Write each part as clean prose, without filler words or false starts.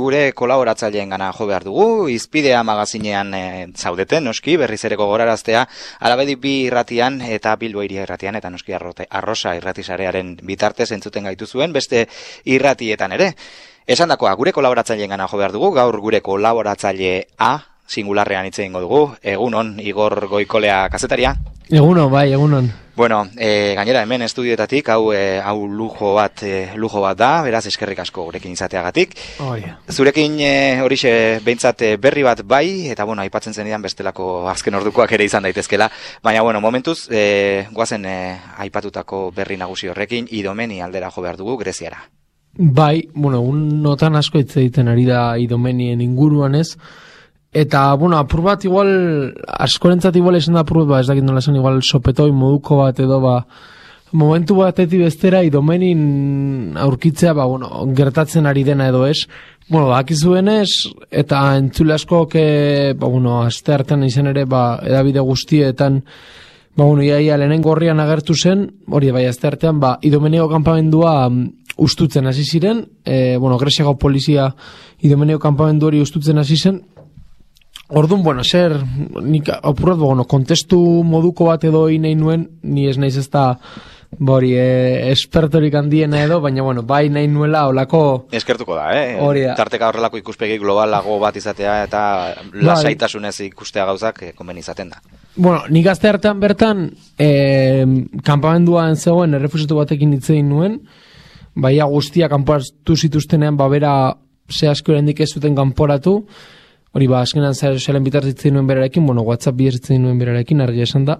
gure kolaboratzaileen gana jo behar dugu, Izpidea magazinean zaudeten, noski, berriz ere gogoraraztea, Alabedi bi irratian eta Bilbo Hiria irratian, eta noski Arrosa irratisarearen bitartez entzuten gaituzuen, beste irratietan ere. Esandakoa, gure kolaboratzaileen gana jo behar dugu, gaur gure kolaboratzailea singularrean hitz egingo dugu. Egunon, Igor Goikolea kazetaria. Egunon, bai, egunon. Bueno, gainera hemen estudioetatik hau lujo bat da, beraz eskerrik asko gurekin izateagatik. Zurekin horixe behintzat berri bat bai, eta bueno, aipatzen zenidan bestelako azken ordukoak ere izan daitezkela, baina bueno, momentuz goazen aipatutako berri nagusi horrekin, Idomeni aldera jo behar dugu Greziara. Bai, bueno, notan asko hitz egiten ari da Idomenien inguruan ez. Eta, bueno, apur bat igual, askorentzat igual esan da apur bat, ez dakit nola esan igual sopetoi moduko bat edo momentu batetik bestera Idomenin aurkitzea, bueno, gertatzen ari dena edo ez. Bueno, akizuenez, eta entzule askok, bueno, aste hartan izan ere, edabide guztietan, bueno, iaia lehenengo horrian agertu zen, hori bai, aste hartean, Idomenio kanpamendua ustutzen hasi ziren, bueno, Greziako polizia Idomenio kanpamendu hori ustutzen hasi zen. Orduan, bueno, nik apurrat, bueno, kontestu moduko bat edo nahi nuen, ni ez naiz ez da, espertorik handiena edo, baina, bueno, bai nahi nuela olako... Eskertuko da, Hori da. Tarteka horrelako ikuspegi globalago bat izatea eta lasaitasunez ikustea gauzak konben izaten da. Bueno, nik aste hartan bertan, kanpamenduan zegoen errefusiatu batekin hitz egin nuen, baia guztia kanporatu zituztenean, bera ze asko erendik ez zuten kanporatu, hori azkenan zaren bitartitzen nuen berarekin, bueno, WhatsApp bihertzen nuen berarekin, argi esan da.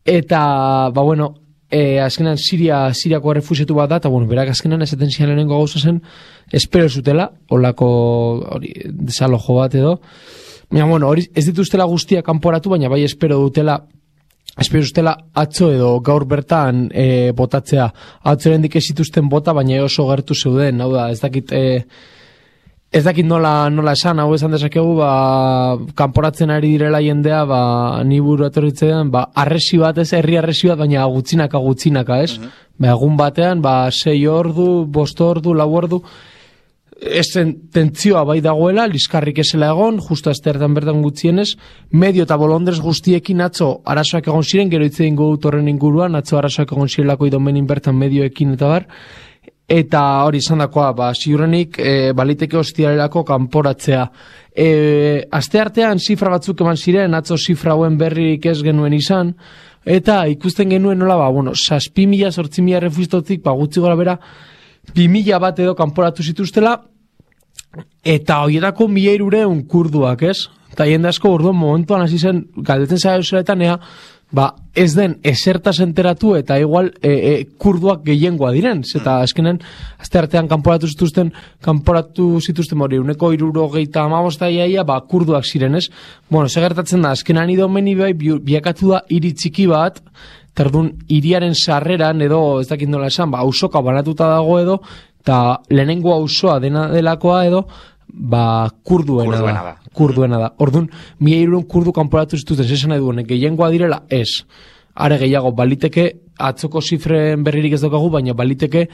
Eta, bueno, azkenan Siriako errefusiatu bat da, eta, bueno, berak azkenan esaten zian lehenengo gauza zen, espero zutela, holako desalojo bat edo. Baina, bueno, hori ez dituztela guztia kanporatu, baina bai espero zutela atzo edo gaur bertan botatzea. Atzo erendik ez zituzten bota, baina oso gertu zeuden, hau da, ez dakit nola esan, hau esan dezakegu, kanporatzen ari direla jendea, ni buru etorritzean, arresi bat ez, herri arresi bat, baina gutxinaka, ez? Egun batean, 6 ordu, 5 ordu, 4 ordu, ez tentzioa bai dagoela, liskarrik esela egon, justo astertan bertan gutxienez, medio eta bolondrez guztiekin atzo arazoak egon ziren, gero hitz egingo dut horren inguruan, atzo arazoak egon zirelako Idomenin bertan medioekin eta bar, eta hori izan dakoa, ziurrenik baliteke ostiarelako kanporatzea. Aste artean zifra batzuk eman ziren, atzo zifra hauen berrik ez genuen izan, eta ikusten genuen nola, 6.000, 8.000 refustotik, gutxi gora bera, 2.000 bat edo kanporatu zituztela, eta horietako 1.300 kurduak, ez? Eta jende asko orduan momentuan hasi zen, galdetzen zaiozuetan, ez den esertaz enteratu eta igual kurduak gehiengoa diren, eta azkenen aste artean kanporatu zituzten hori, 175 iaia, kurduak ziren, ez? Bueno, segertatzen da, azkenan Idomeni bai biakatu da hiri txiki bat, terdun hiriaren sarreran edo, ez dakit nola esan, ausoka banatuta dago edo, eta lehenengo auzoa dena delakoa edo, kurduena da. Orduan, 1.300 kurdu kanporatu zituzten, esan nahi duen, gehiengoa direla, ez. Are gehiago, baliteke, atzoko zifren berririk ez daukagu, baina baliteke,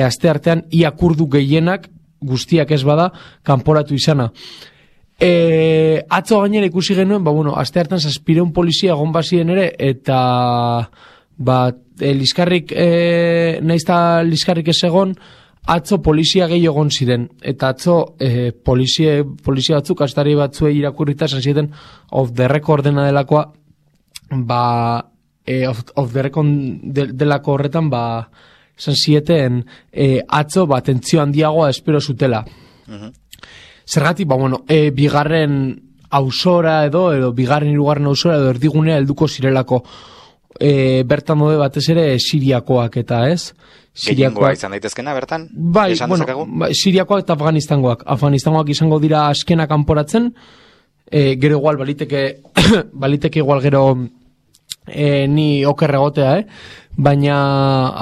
aste artean, ia kurdu gehienak, guztiak ez bada, kanporatu izana. Atzo gainera ikusi genuen, aste hartan 700 polizia egon bazien ere, eta, liskarrik, naizta liskarrik ez egon, atzo polizia gehi egon ziren, eta atzo polizia batzuk, astari batzuei irakurrita esan ziren off the record dena delakoa, off the record delako horretan, esan zieten atzo tentzio handiagoa espero zutela. Zergatik, bigarren ausora edo bigarren hirugarren ausora edo erdigunea helduko zirelako, bertan mode batez ere Siriakoak eta ez? Gehiengoa izan daitezkena bertan? Bai, Siriakoak eta Afganistangoak izango dira askena kanporatzen, gero igual baliteke igual gero ni okerregotea, baina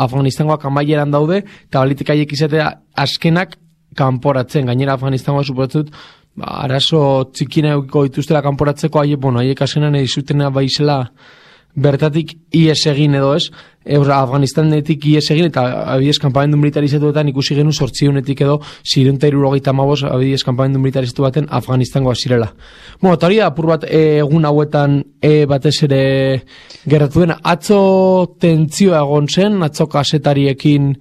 Afganistangoak amaieran daude, eta baliteke haiek izatea askenak kanporatzen, gainera Afganistangoak suporatzut, arazo txikina eukiko dituztela kanporatzeko, haiek askenan edizutena baizela bertatik ies egin edo ez, Afganistanetik ies egin, eta abidez kanpamendu militarizatuetan ikusi genu 800-etik edo 675 abidez kanpamendu militarizatu baten Afganistangoa zirela. Bueno, eta hori da apur bat egun hauetan batez ere gertatu dena. Atzo tentzioa egon zen, atzo kasetariekin.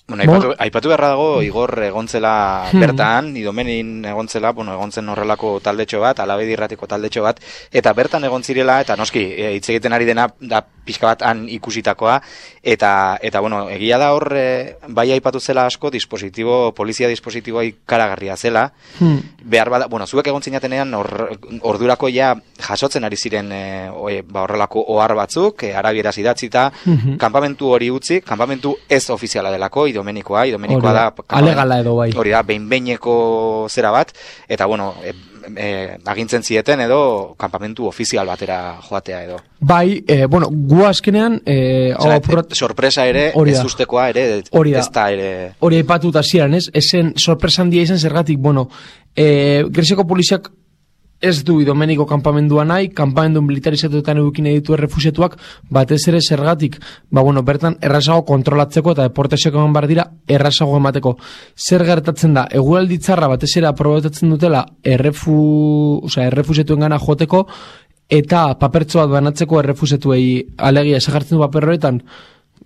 Bueno, aipatu beharra dago, Igor egontzela bertan, Idomenin egontzela, egontzen horrelako taldetxo bat, Alabedi irratiko taldetxo bat, eta bertan egon zirela, eta noski, hitz egiten ari dena, da pixka bat han ikusitakoa, eta egia da hor, bai aipatu zela asko, polizia dispositiboa ikaragarria zela, behar bada, zuek egon zinatenean, ordurako ja jasotzen ari ziren horrelako ohar batzuk, arabieraz idatzita, kanpamentu hori utzi, kanpamentu ez ofiziala delako, Idomenikoa da alegala edo bai. Hori da, behin-behineko zera bat, eta agintzen zieten edo kanpamentu ofizial batera joatea edo. Bai, gu azkenean sorpresa ere, ez ustekoa ere, ez da ere. Hori aipatuta ziren, ez? Ezen sorpresa handia izan zergatik, Greziako poliziak ez du Idomeniko kanpamendua nahi, kanpamendu militarizatuetan edukin ditu errefusiatuak, batez ere zergatik, bertan errazago kontrolatzeko eta deportazioak eman bar dira errazago emateko. Zer gertatzen da, eguraldi txarra batez ere aprobetatzen dutela errefusiatuen gana joteko, eta papertxo bat banatzeko errefusiatuei alegia esagartzen du paper horretan,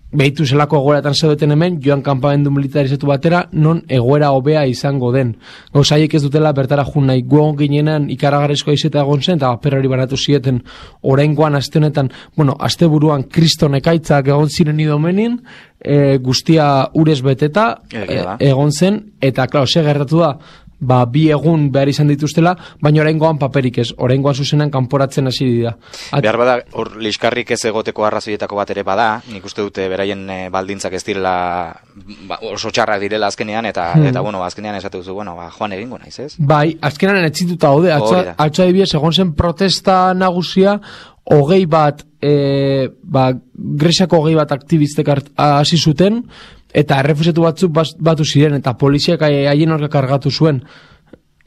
behitu zelako egoeratan zeudeten hemen, joan kanpamendu militarizatu batera, non egoera hobea izango den. Gauzaiek ez dutela bertara jun nahi, guon ginenan ikaragarrizkoa izeta egon zen, eta paper hori banatu zieten, oraingoan aste honetan, aste buruan kriston ekaitzak egon ziren Idomenin, guztia urez beteta egon zen, eta klaro, ze gertatu da, bi egun behar izan dituztela, baina oraingoan paperik ez, oraingoan zuzenan kanporatzen hasi dira. Behar bada, hor liskarrik ez egoteko arrazoietako bat ere bada, nik uste dute beraien baldintzak ez direla oso txarrak direla azkenean, eta azkenean esatu duzu, joan egingo naiz, ez? Bai, azkenean etzituta haude, atzo adibidez egon zen protesta nagusia, hogei bat, Greziako hogei bat aktivistek hasi zuten, eta errefusiatu batzuk batu ziren, eta poliziak haien horrek kargatu zuen.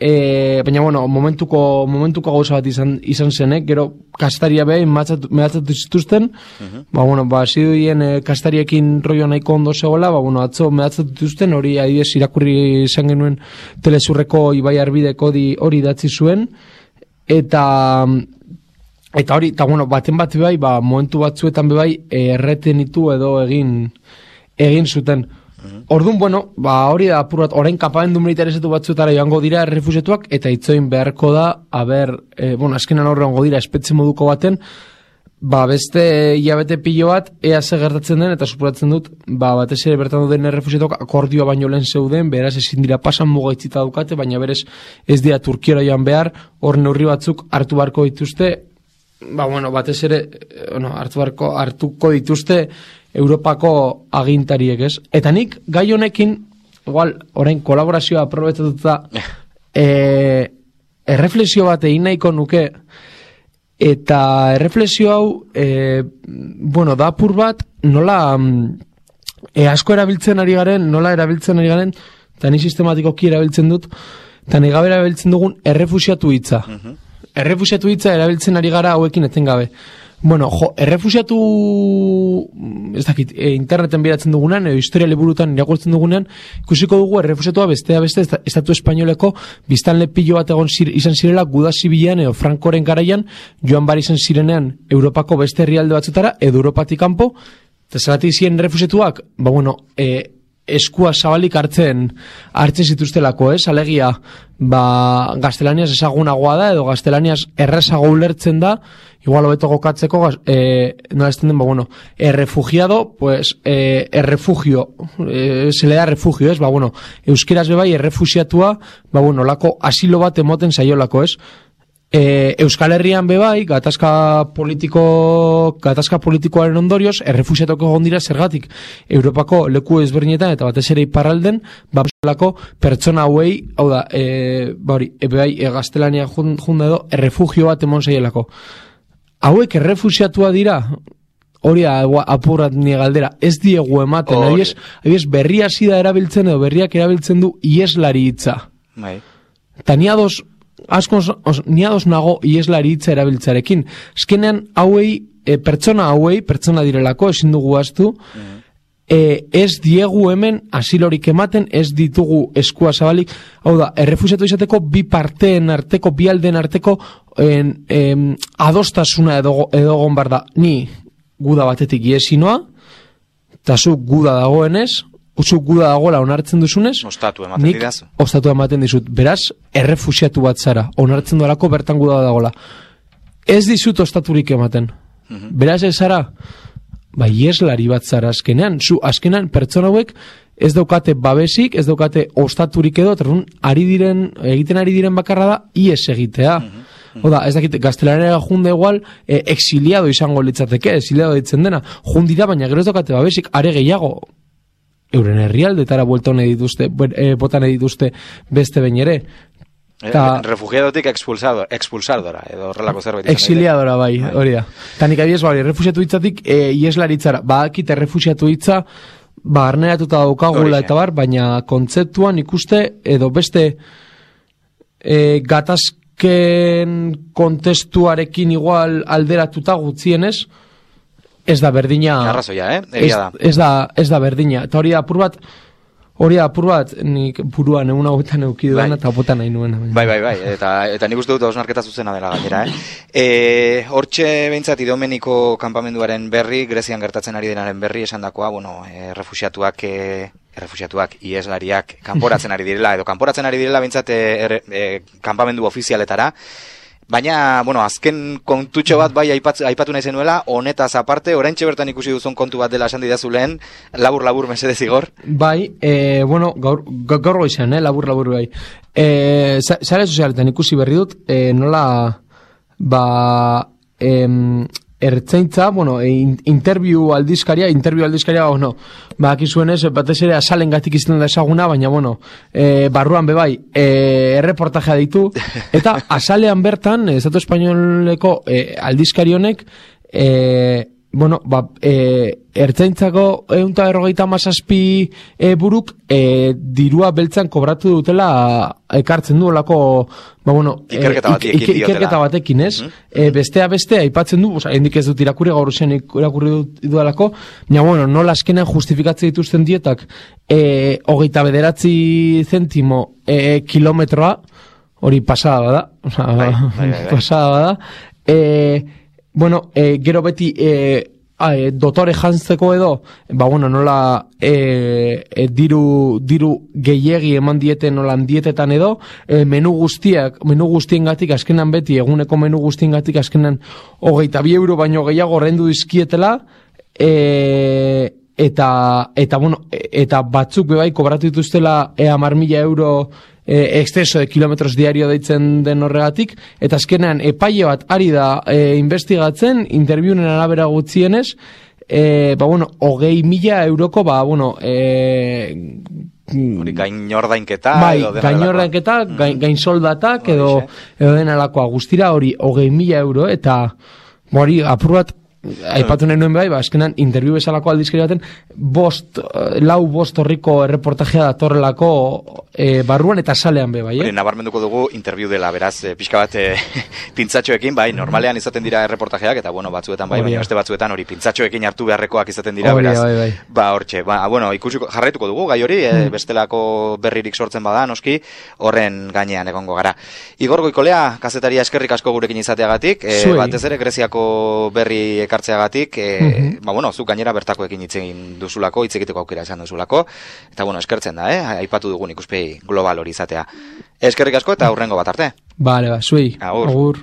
Baina, momentuko gauza bat izan zenek, gero kastaria behin mehatzatu zituzten, hasi duien kastariekin rollo nahiko ondo zegoela, atzo mehatzatu zituzten, hori adibidez irakurri izan genuen Telezurreko Ibai Arbideko hori datzi zuen, eta hori, eta baten bat bai, momentu batzuetan bai, erretenitu edo egin zuten. Orduan, hori da apur bat, orain kanpamendu militarizatu batzuetara joango dira errefusiatuak, eta itzoin beharko da, azkenan horrengo dira espetxe moduko baten, beste hilabete pilo bat, ea ze gertatzen den, eta supuratzen dut, batez ere bertan duten errefusiatuak akordioa baino lehen zeuden, beraz ezin dira pasan mugaitzita dukate, baina berez ez dira Turkiara joan behar, hor neurri batzuk hartu beharko dituzte, batez ere, hartuko dituzte Europako agintariek, ez? Eta nik, gai honekin, orain kolaborazioa aprobetatuta, erreflexio bat egin nahiko nuke, eta erreflexio hau, da apur bat, nola asko erabiltzen ari garen, eta ni sistematikoki erabiltzen dut, eta ni gabe erabiltzen dugun errefusiatu hitza. Errefusiatu hitza erabiltzen ari gara hauekin etengabe. Errefusiatu, ez dakit, interneten biratzen dugunean, edo historia liburutan irakurtzen dugunean, ikusiko dugu errefusiatua beste estatu espainoleko biztanle pilo bat izan zirela guda zibilean edo Frankoren garaian, joan bar izan zirenean Europako beste herrialde batzutara, edo Europatik kanpo, eta zeratik ziren errefusiatuak, eskua zabalik hartzen zituztelako, ez? Alegia, gaztelaniaz ezagunagoa da, edo gaztelaniaz errezago ulertzen da, igual hobeto gokatzeko, nola ez den, errefugiado, pues, errefugio, se le da refugio, ez? Euskeraz bebai, errefusiatua, lako asilo bat emoten zaiolako, ez? Euskal Herrian bebai, gatazka politikoaren ondorioz, errefusiatuko egon dira zergatik Europako leku ezberdinetan eta batez ere iparralden, pertsona hauei, hau da, bebai, gaztelania junda edo, errefugio bat emon zaielako. Hauek errefusiatua dira, hori apurrat nire galdera, ez diegu ematen, abiez berria zida erabiltzen edo berriak erabiltzen du ieslari hitza. Eta ni ados nago ieslari hitza erabiltzarekin. Eskenean hauei pertsona hauei, pertsona direlako, ezin dugu ahaztu, ez diegu hemen asilorik ematen, ez ditugu eskua zabalik, hau da, errefusiatu izateko bi parteen arteko, bi aldeen arteko adostasuna edo gon bar da, ni guda batetik iesinoa, eta zu guda dagoenez, zu guda dagoela onartzen duzunez, ostatu ematen didazu. Ostatu ematen dizut, beraz, errefusiatu bat zara, onartzen duelako bertan guda dagoela. Ez dizut ostaturik ematen. Beraz ez zara, ieslari bat zara azkenean. Azkenean pertsona hauek ez daukate babesik, ez daukate ostaturik edo, egiten ari diren bakarra da, ies egitea. Oda, ez dakit, gaztelanera junde igual, exiliado izango litzateke, exiliado ditzen dena. Jundira, baina gero ez daukate babesik, are gehiago, euren herrialdetara buelta nahi dituzte, botan nahi dituzte beste behin ere. Refugiadotik expulsardora, edo horrelako zerbait. Exiliadora, bai, hori da. Tanik abiez, refusiatu hitzatik, ieslaritzara, akite refusiatu hitza, arneratuta daukagula eta bar, baina kontzeptuan ikuste, edo beste gatazken kontestuarekin igual alderatuta gutzienez, ez da berdina. Arrazoia, egia da. Ez da berdina. Eta hori apur bat, nik buruan egun hauetan eukiduan eta botan nahi nuen. Bai, eta nik uste dut osnarketa zuzena dela gainera, Hortxe behintzat Idomeniko kanpamenduaren berri, Grezian gertatzen ari denaren berri esan dakoa, refusiatuak, ieslariak kanporatzen ari direla, edo kanporatzen ari direla behintzat kanpamendu ofizialetara. Baina, azken kontutxo bat bai aipatu nahi zenuela, honetaz aparte, oraintxe bertan ikusi duzun kontu bat dela esan didazu lehen, labur mesedez igor. Bai, gaur goizan, labur bai. Zare sozialetan ikusi berri dut, nola, ertzaintza, interview aldizkaria, akizuenez, batez ere asalen gatik izten da esaguna, baina, barruan bebai, erreportajea ditu, eta asalean bertan, Estatu Espainoleko aldizkari honek, ertzaintzako 157 buruk dirua beltzan kobratu dutela ekartzen duelako ikerketa batekin, ez? Bestea aipatzen du, hendik ez dut irakurri, gaur zen irakurri duelako, baina, nola azkenean justifikatzen dituzten dietak 29 zentimo kilometroa, hori pasada bada, pasada bada, gero beti dotore jantzeko edo, nola diru gehiegi eman dieten nolan dietetan edo, menu guztiengatik azkenan beti, eguneko menu guztiengatik azkenan 22 euro baino gehiago ordaindu dizkietela, eta batzuk bebai kobratu dituztela 10.000 euro exceso de kilometros diario deitzen den horregatik, eta azkenean epaile bat ari da investigatzen, interbiunen arabera gutzienez, 20.000 euroko, gainordainketa, gain soldatak, edo denalakoa guztira, hori 20.000 euro, eta hori apur bat, aipatu nahi nuen bai, azkenan interbiu bezalako aldizkari baten, 5 horriko erreportajea datorrelako barruan eta salean be bai, nabarmenduko dugu interbiu dela, beraz, pixka bat pintzatxoekin, bai, normalean izaten dira erreportajeak, eta batzuetan bai, baina beste batzuetan hori pintzatxoekin hartu beharrekoak izaten dira, beraz, hortxe, ikusiko jarraituko dugu, gai hori, bestelako berririk sortzen bada, noski, horren gainean egongo gara. Igor Goikolea, kazetaria eskerrik asko gurekin izateagatik, batez ere Greziako berri ekartzeagatik, zuk gainera bertakoekin hitz egin duzulako, hitz egiteko aukera izan duzulako, eta eskertzen da, aipatu dugun ikuspegi global hori izatea. Eskerrik asko eta hurrengo bat arte. Bale, zuei. Agur.